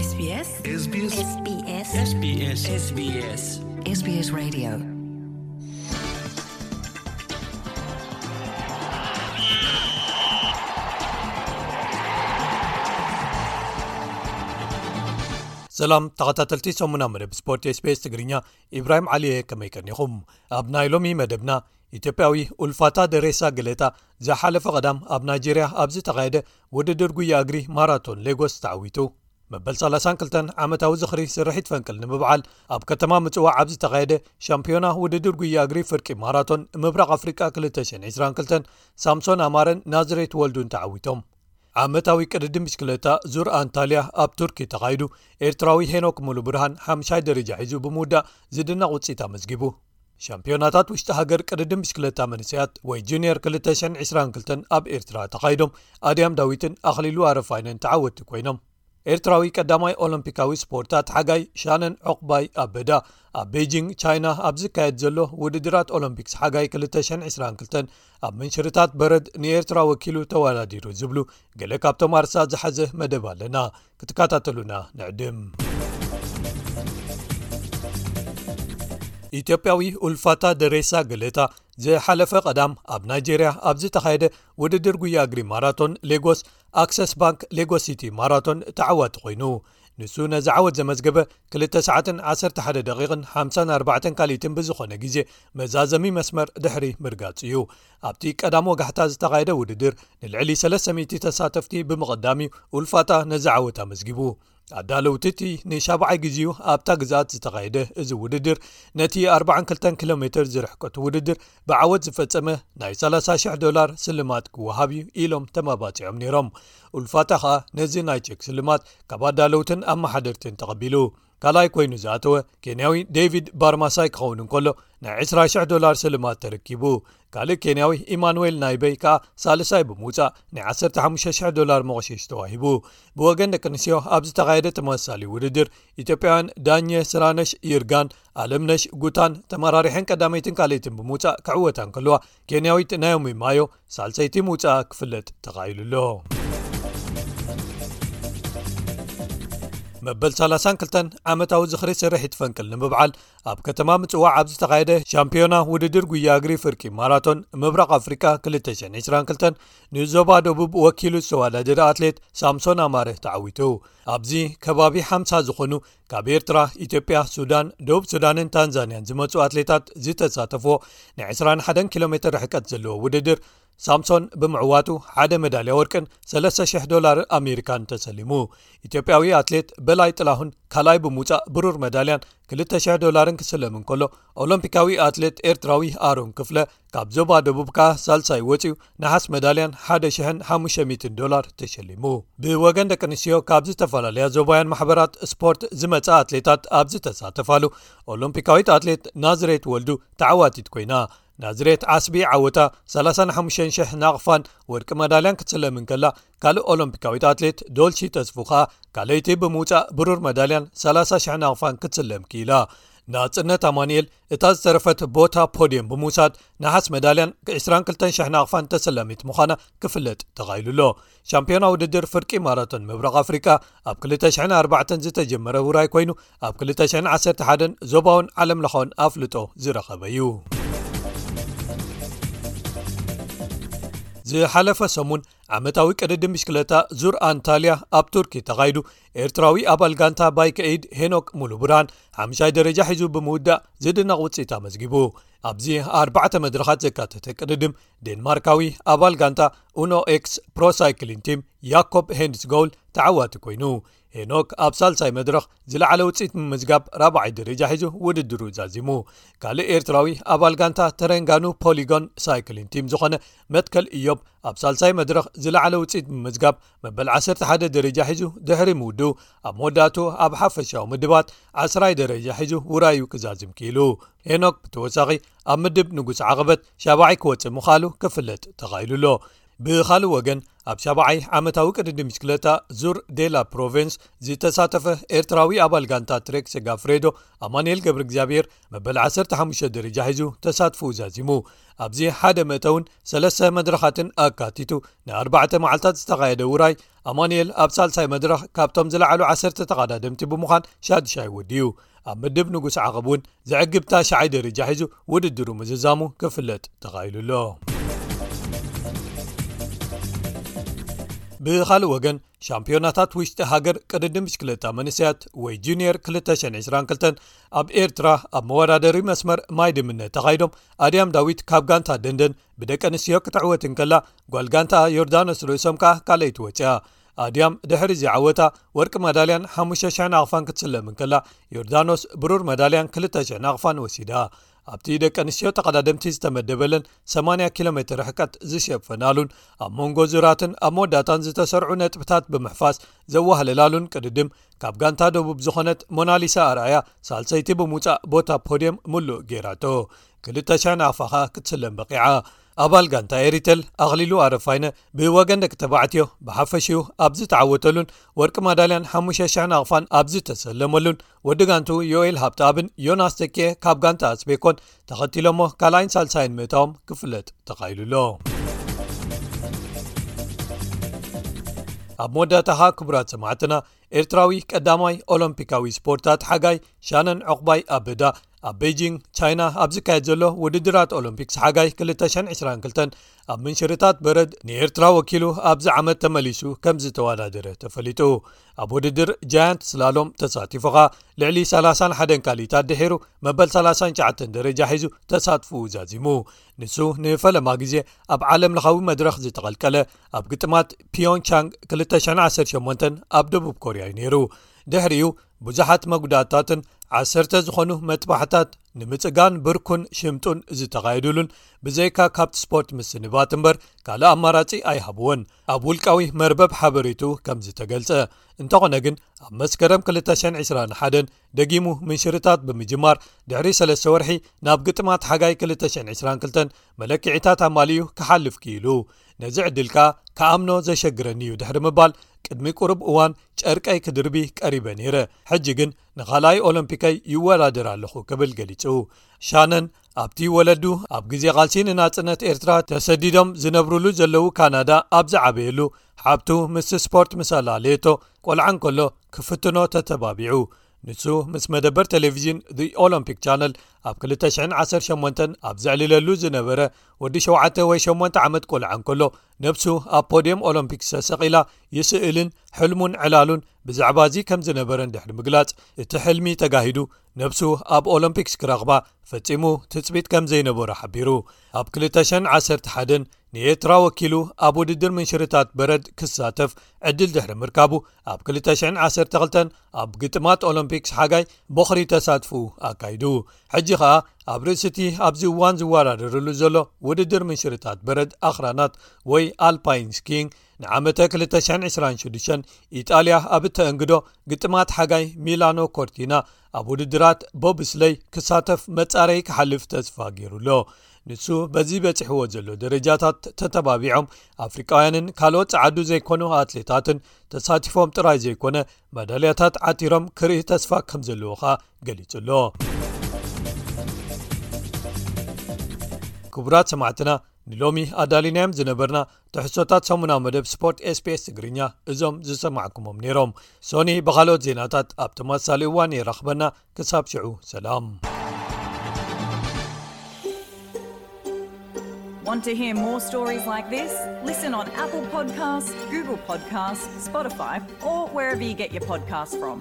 SBS SBS SBS SBS SBS SBS Radio. ሰላም ተኸታተልቲ ሰሙና መደብ ስፖርት SBS ትግርኛ፣ ኢብራሂም ዓሊየ፣ ከመይ ቀኒኹም? ኣብ ናይ ሎሚ መደብና፣ ኢትዮጵያዊ ኡልፋታ ደሬሳ ገለታ ዝሓለፈ ቀዳም ኣብ ናይጄርያ ኣብ ዝተኻየደ ውድድር ጉያ እግሪ ማራቶን ሌጎስ ተዓዊቱ። መበል ሰላሳን ክልተን ዓመታዊ ዝኽሪ ስርሒት ፈንቅል ንምብዓል ኣብ ከተማ ምጽዋዕ ኣብ ዝተኻየደ ሻምፒዮና ውድድር ጉያ እግሪ ፍርቂ ማራቶን ምብራቕ ኣፍሪቃ ክልተ ሽሕን ዕስራን ክልተን ሳምሶን ኣማረን ናዝሬት ወልዱን ተዓዊቶም። ዓመታዊ ቅድድም ብሽክለታ ዙር ኣንታልያ ኣብ ቱርኪ ተኻይዱ፣ ኤርትራዊ ሄኖክ ሙሉ ብርሃን ሓምሻይ ደረጃ ሒዙ ብምውዳእ ዝድነቕ ውጽኢት ኣመዝጊቡ። ሻምፒዮናታት ውሽጢ ሃገር ቅድድም ብሽክለታ መንእሰያት ወይ ጁኒየር ክልተ ሽሕን ዕስራን ክልተን ኣብ ኤርትራ ተኻይዶም፣ ኣድያም ዳዊትን ኣኽሊሉ ኣረፋይነን ተዓወትቲ ኮይኖም። ኤርትራዊ ቀዳማይ ኦሎምፒካዊ ስፖርታት ሓጋይ ሻነን ዑቕባይ ኣበዳ ኣብ ቤጂንግ ቻይና ኣብ ዝካየድ ዘሎ ውድድራት ኦሎምፒክስ ሓጋይ ክልተ ሽሕን ዕስራን ክልተን ኣብ ምንሽርታት በረድ ንኤርትራ ወኪሉ ተወዳዲሩ ዝብሉ ገለ ካብቶም ኣርሳ ዝሓዘ መደብ ኣለና። ክትከታተሉና ንዕድም። ኢትዮጵያዊ ኡልፋታ ደሬሳ ገለታ ዝሓለፈ ቀዳም ኣብ ናይጄርያ ኣብ ዝተኻየደ ውድድር ጉያ እግሪ ማራቶን ሌጎስ ኣክሰስ ባንክ ሌጎስ ሲቲ ማራቶን ተዓዋቲ ኮይኑ፣ ንሱ ነዚ ዓወት ዘመዝገበ ክልተ ሰዓትን ዓሰርተ ሓደ ደቂቕን ሓምሳን ኣርባዕተን ካልኢትን ብዝኾነ ግዜ መዛዘሚ መስመር ድሕሪ ምርጋጹ እዩ። ኣብቲ ቀዳም ወጋሕታ ዝተኻየደ ውድድር ንልዕሊ ሰለስተ ሚእቲ ተሳተፍቲ ብምቕዳም እዩ ኡልፋታ ነዚ ዓወት ኣመዝጊቡ። ኣዳለውቲ እቲ ንሻብዓይ ግዜኡ ኣብታ ግዝኣት ዝተኻየደ እዚ ውድድር ነቲ ኣርባዓን ክልተን ኪሎ ሜትር ዝርሕቀቱ ውድድር ብዓወት ዝፈጸመ ናይ ሰላሳ ሽሕ ዶላር ስልማት ክወሃብ እዩ ኢሎም ተመባጺዖም ነይሮም። ኡልፋታ ኸኣ ነዚ ናይ ቼክ ስልማት ካብ ኣዳለውትን ኣመሓደርትን ተቐቢሉ። ካልኣይ ኮይኑ ዝኣተወ ኬንያዊ ዴቪድ ባርማሳይ ክኸውን እንከሎ፣ ናይ ዕስራ ሽሕ ዶላር ስልማት ተረኪቡ። ካልእ ኬንያዊ ኢማኑኤል ናይበይ ከኣ ሳልሳይ ብምውጻእ ናይ ዓሰርተ ሓሙሽተ ሽሕ ዶላር መቑሸሽ ተዋሂቡ። ብወገን ደቂ ኣንስትዮ ኣብ ዝተኻየደ ተመሳሳሊ ውድድር፣ ኢትዮጵያውያን ዳኘ ስራነሽ ይርጋን ኣለምነሽ ጉታን ተመራሪሐን ቀዳመይትን ካልኣይትን ብምውጻእ ክዕወታ እንከለዋ፣ ኬንያዊት ናዮሚ ማዮ ሳልሰይቲ ምውጻኣ ክፍለጥ ተኻኢሉ ኣሎ። መበል ሰላሳን ክልተን ዓመታዊ ዝኽሪ ስርሒት ፈንቅል ንምብዓል ኣብ ከተማ ምጽዋዕ ኣብ ዝተኻየደ ሻምፒዮና ውድድር ጉያ እግሪ ፍርቂ ማራቶን ምብራቕ ኣፍሪቃ ክልተ ሽሕን ዕስራን ክልተን ንዞባ ደቡብ ወኪሉ ዝተወዳደረ ኣትሌት ሳምሶን ኣማረ ተዓዊቱ። ኣብዚ ከባቢ ሓምሳ ዝኾኑ ካብ ኤርትራ፣ ኢትዮጵያ፣ ሱዳን፣ ደቡብ ሱዳንን ታንዛንያን ዝመጹ ኣትሌታት ዝተሳተፍዎ ናይ ዕስራን ሓደን ኪሎ ሜትር ርሕቀት ዘለዎ ውድድር፣ ሳምሶን ብምዕዋቱ ሓደ መዳልያ ወርቅን ሰለስተ ሽሕ ዶላር ኣሜሪካን ተሰሊሙ። ኢትዮጵያዊ ኣትሌት በላይ ጥላሁን ካልኣይ ብምውጻእ ብሩር መዳልያን ክልተ ሽሕ ዶላርን ክስለም እንከሎ፣ ኦሎምፒካዊ ኣትሌት ኤርትራዊ ኣሮን ክፍለ ካብ ዞባ ደቡብ ከኣ ሳልሳይ ወጺኡ ነሓስ መዳልያን ሓደ ሽሕን ሓሙሽተ ሚእትን ዶላር ተሸሊሙ። ብወገን ደቂ ኣንስትዮ ካብ ዝተፈላለያ ዞባውያን ማሕበራት ስፖርት ዝመጻ ኣትሌታት ኣብ ዝተሳተፋሉ፣ ኦሎምፒካዊት ኣትሌት ናዝሬት ወልዱ ተዓዋቲት ኮይና። ናዝሬት ዓስቢ ዓወታ ሰላሳን ሓሙሽተን ሽሕ ናቕፋን ወርቂ መዳልያን ክትስለም እንከላ፣ ካልእ ኦሎምፒካዊት ኣትሌት ዶልሺ ተስፉ ኸኣ ካልኣይቲ ብምውጻእ ብሩር መዳልያን ሰላሳ ሽሕ ናቕፋን ክትስለም ክኢላ። ናጽነት ኣማኑኤል እታ ዝተረፈት ቦታ ፖድየም ብምውሳድ ነሓስ መዳልያን ዕስራን ክልተን ሽሕ ናቕፋን ተሰላሚት ምዃና ክፍለጥ ተኻኢሉ ኣሎ። ሻምፒዮና ውድድር ፍርቂ ማራቶን ምብራቕ ኣፍሪቃ ኣብ ክልተ ሽሕን ኣርባዕተን ዝተጀመረ ውራይ ኮይኑ፣ ኣብ ክልተ ሽሕን ዓሰርተ ሓደን ዞባውን ዓለምለኻውን ኣፍልጦ ዝረኸበ እዩ። ዝሓለፈ ሰሙን ዓመታዊ ቅድድም ብሽክለታ ዙር ኣንታልያ ኣብ ቱርኪ ተኻይዱ፣ ኤርትራዊ ኣባል ጋንታ ባይክ ኤይድ ሄኖክ ሙሉ ብርሃን ሓምሻይ ደረጃ ሒዙ ብምውዳእ ዝድነቕ ውጽኢት ኣመዝጊቡ። ኣብዚ ኣርባዕተ መድረኻት ዘካተተ ቅድድም፣ ዴንማርካዊ ኣባል ጋንታ ኡኖ ኤክስ ፕሮ ሳይክሊን ቲም ያኮብ ሄንድስጎል ተዓዋቲ ኮይኑ፣ ሄኖክ ኣብ ሳልሳይ መድረኽ ዝለዓለ ውጽኢት ምምዝጋብ ራብዓይ ደረጃ ሒዙ ውድድሩ ዛዚሙ። ካልእ ኤርትራዊ ኣባል ጋንታ ተረንጋኑ ፖሊጎን ሳይክሊን ቲም ዝኾነ መትከል ኢዮብ ኣብ ሳልሳይ መድረኽ ዝለዓለ ውጽኢት ብምምዝጋብ መበል ዓሰርተ ሓደ ደረጃ ሒዙ ድሕሪ ምውድኡ፣ ኣብ መወዳእቱ ኣብ ሓፈሻዊ ምድባት ዓስራይ ደረጃ ሒዙ ውራዩ ክዛዝም ክኢሉ። ሄኖክ ብተወሳኺ ኣብ ምድብ ንጉስ ዓቐበት ሻብዓይ ክወጽእ ምኽኣሉ ክፍለጥ ተኻኢሉ ኣሎ። ብኻልእ ወገን፣ ኣብ ሻብዓይ ዓመታዊ ቅድድም ብሽክለታ ዙር ዴላ ፕሮቬንስ ዝተሳተፈ ኤርትራዊ ኣባል ጋንታ ትሬክ ሴጋፍሬዶ፣ ኣማኑኤል ገብረ እግዚኣብሔር፣ መበል ዓሰርተ ሓሙሽተ ደረጃ ሒዙ ተሳትፎኡ ዛዚሙ። ኣብዚ ሓደ መእተውን ሰለስተ መድረኻትን ኣካቲቱ ንኣርባዕተ መዓልታት ዝተኻየደ ውራይ፣ ኣማኑኤል ኣብ ሳልሳይ መድረኽ ካብቶም ዝለዓሉ ዓሰርተ ተቐዳደምቲ ብምዃን ሻድሻይ ወዲኡ። ኣብ ምድብ ንጉስ ዓቐብ እውን ዘዕግብ ታሽዓይ ደረጃ ሒዙ ውድድሩ ምዝዛሙ ክፍለጥ ተኻኢሉ ኣሎ። ብኻልእ ወገን፣ ሻምፒዮናታት ውሽጢ ሃገር ቅድድም ብሽክለታ መንእሰያት ወይ ጁኒየር ክልተ ሽሕን ዕስራን ክልተን ኣብ ኤርትራ ኣብ መወዳደሪ መስመር ማይ ድምነት ተኻይዶም፣ ኣድያም ዳዊት ካብ ጋንታ ደንደን ብደቂ ኣንስትዮ ክትዕወት እንከላ፣ ጓል ጋንታ ዮርዳኖስ ርእሶም ከኣ ካልኣይቲ ወጺኣ። ኣድያም ድሕሪ እዚ ዓወታ ወርቂ መዳልያን ሓሙሽተ ሽሕ ናቕፋን ክትስለም እንከላ፣ ዮርዳኖስ ብሩር መዳልያን ክልተ ሽሕ ናቕፋን ወሲዳ። ኣብቲ ደቂ ኣንስትዮ ተቐዳደምቲ ዝተመደበለን ሰማንያ ኪሎ ሜትር ርሕቀት ዝሸፈናሉን ኣብ መንጎ ዙራትን ኣብ መወዳእታን ዝተሰርዑ ነጥብታት ብምሕፋስ ዘዋህለላሉን ቅድድም፣ ካብ ጋንታ ደቡብ ዝኾነት ሞናሊሳ ኣርኣያ ሳልሰይቲ ብምውጻእ ቦታ ፖድየም ምሉእ ገይራቶ። ክልተ ሽሕ ናቕፋ ክትስለም በቂዓ። ኣባል ጋንታ ኤሪተል ኣኽሊሉ ኣረፋይነ ብወገን ደቂ ተባዕትዮ ብሓፈሽኡ ኣብ ዝተዓወተሉን ወርቂ ማዳልያን ሓሙሽተ ሽሕ ናቕፋን ኣብ ዝተሰለመሉን፣ ወዲ ጋንቱ ዮኤል ሃብተኣብን ዮናስ ተኪኤ ካብ ጋንታ ኣስቤኮን ተኸቲሎሞ ካልኣይን ሳልሳይን ምእታዎም ክፍለጥ ተኻኢሉ ኣሎ። ኣብ መወዳእታ ኸኣ ክቡራት ሰማዕትና፣ ኤርትራዊ ቀዳማይ ኦሎምፒካዊ ስፖርታት ሓጋይ ሻነን ዕቑባይ ኣበዳ ኣብ ቤጂንግ ቻይና ኣብ ዝካየድ ዘሎ ውድድራት ኦሎምፒክስ ሓጋይ ክልተ ሽሕን ዕስራን ክልተን ኣብ ምንሽርታት በረድ ንኤርትራ ወኪሉ ኣብዚ ዓመት ተመሊሱ ከም ዝተወዳደረ ተፈሊጡ። ኣብ ውድድር ጃያንት ስላሎም ተሳቲፉ ኸኣ ልዕሊ ሰላሳን ሓደን ካልኢታት ድሒሩ መበል ሰላሳን ትሽዓተን ደረጃ ሒዙ ተሳትፎኡ ዛዚሙ። ንሱ ንፈለማ ግዜ ኣብ ዓለም ለኻዊ መድረኽ ዝተቐልቀለ ኣብ ግጥማት ፒዮንግቻንግ ክልተ ሽሕን ዓሰርተ ሸሞንተን ኣብ ደቡብ ኮርያ እዩ ነይሩ። ድሕሪኡ ብዙሓት መጉዳእታትን ዓሰርተ ዝኾኑ መጥባሕታት ንምጽጋን ብርኩን ሽምጡን ዝተኻየዱሉን፣ ብዘይካ ካብቲ ስፖርት ምስንባት እምበር ካልእ ኣማራጺ ኣይሃብዎን። ኣብ ውልቃዊ መርበብ ሓበሬቱ ከም ዝተገልጸ። እንተኾነ ግን፣ ኣብ መስከረም ክልተ ሽሕን ዕስራን ሓደን ደጊሙ ምንሽርታት ብምጅማር፣ ድሕሪ ሰለስተ ወርሒ ናብ ግጥማት ሓጋይ ክልተ ሽሕን ዕስራን ክልተን መለክዒታት ኣማሊኡ ክሓልፍ ክኢሉ። ነዚ ዕድል ከኣ ክኣምኖ ዘሸግረኒ እዩ ድሕሪ ምባል፣ ቅድሚ ቁሩብ እዋን ጨርቀይ ክድርቢ ቀሪበ ነይረ። ሕጂ ግን ንኻልኣይ ኦሎምፒከይ ይወዳደር ኣለኹ ክብል ገሊጹ። ሻነን ኣብቲ ወለዱ ኣብ ግዜ ቃልሲ ንናጽነት ኤርትራ ተሰዲዶም ዝነብሩሉ ዘለዉ ካናዳ ኣብ ዝዓበየሉ፣ ሓብቱ ምስ ስፖርት ምስ ኣላለየቶ፣ ቆልዓ እንከሎ ክፍትኖ ተተባቢዑ። ንሱ ምስ መደበር ቴሌቪዥን The Olympic Channel ኣብ ክልተ ሽሕን ዓሰርተ ሸሞንተን ኣብ ዘዕልለሉ ዝነበረ ወዲ ሸውዓተ ወይ ሸሞንተ ዓመት ቆልዓ እንከሎ፣ ነብሱ ኣብ ፖድየም ኦሎምፒክስ ተሰቒላ ይስእልን ሕልሙን ዕላሉን ብዛዕባ እዚ ከም ዝነበረን ድሕሪ ምግላጽ፣ እቲ ሕልሚ ተጋሂዱ ነብሱ ኣብ ኦሎምፒክስ ክረኽባ ፈጺሙ ትጽቢት ከም ዘይነበሮ ሓቢሩ። ኣብ ክልተ ሽሕን ዓሰርተ ሓደን ንኤርትራ ወኪሉ ኣብ ውድድር ምንሽርታት በረድ ክሳተፍ ዕድል ድሕሪ ምርካቡ፣ ኣብ ክልተ ሽሕን ዓሰርተ ክልተን ኣብ ግጥማት ኦሎምፒክስ ሓጋይ ቦኽሪ ተሳትፉ ኣካይዱ። ሕጂ ኸኣ ኣብ ርእሲ እቲ ኣብዚ እዋን ዝወዳደረሉ ዘሎ ውድድር ምንሽርታት በረድ ኣኽራናት ወይ ኣልፓይን ስኪንግ ንዓመተ ክልተ ሽሕን ዕስራን ሽዱሽተን ኢጣልያ ኣብ እተእንግዶ ግጥማት ሓጋይ ሚላኖ ኮርቲና ኣብ ውድድራት ቦብስለይ ክሳተፍ መጻረይ ክሓልፍ ተስፋ ገይሩ ኣሎ። ንሱ በዚ በጺሕዎ ዘሎ ደረጃታት ተተባቢዖም ኣፍሪቃውያንን ካልኦት ጸዓዱ ዘይኮኑ ኣትሌታትን ተሳቲፎም ጥራይ ዘይኮነ መዳልያታት ዓቲሮም ክርኢ ተስፋ ከም ዘለዎ ኸኣ ገሊጹ ኣሎ። ክቡራት ሰማዕትና፣ ንሎሚ ኣዳሊናዮም ዝነበርና ትሕዝቶታት ሰሙናዊ መደብ ስፖርት ኤስቢኤስ ትግርኛ እዞም ዝሰማዕኩሞም ነይሮም። ሶኒ ብኻልኦት ዜናታት ኣብ ተመሳሳሊ እዋን የራኽበና። ክሳብ ሽዑ ሰላም። Want to hear more stories like this? Listen on Apple Podcasts, Google Podcasts, Spotify, or wherever you get your podcasts from.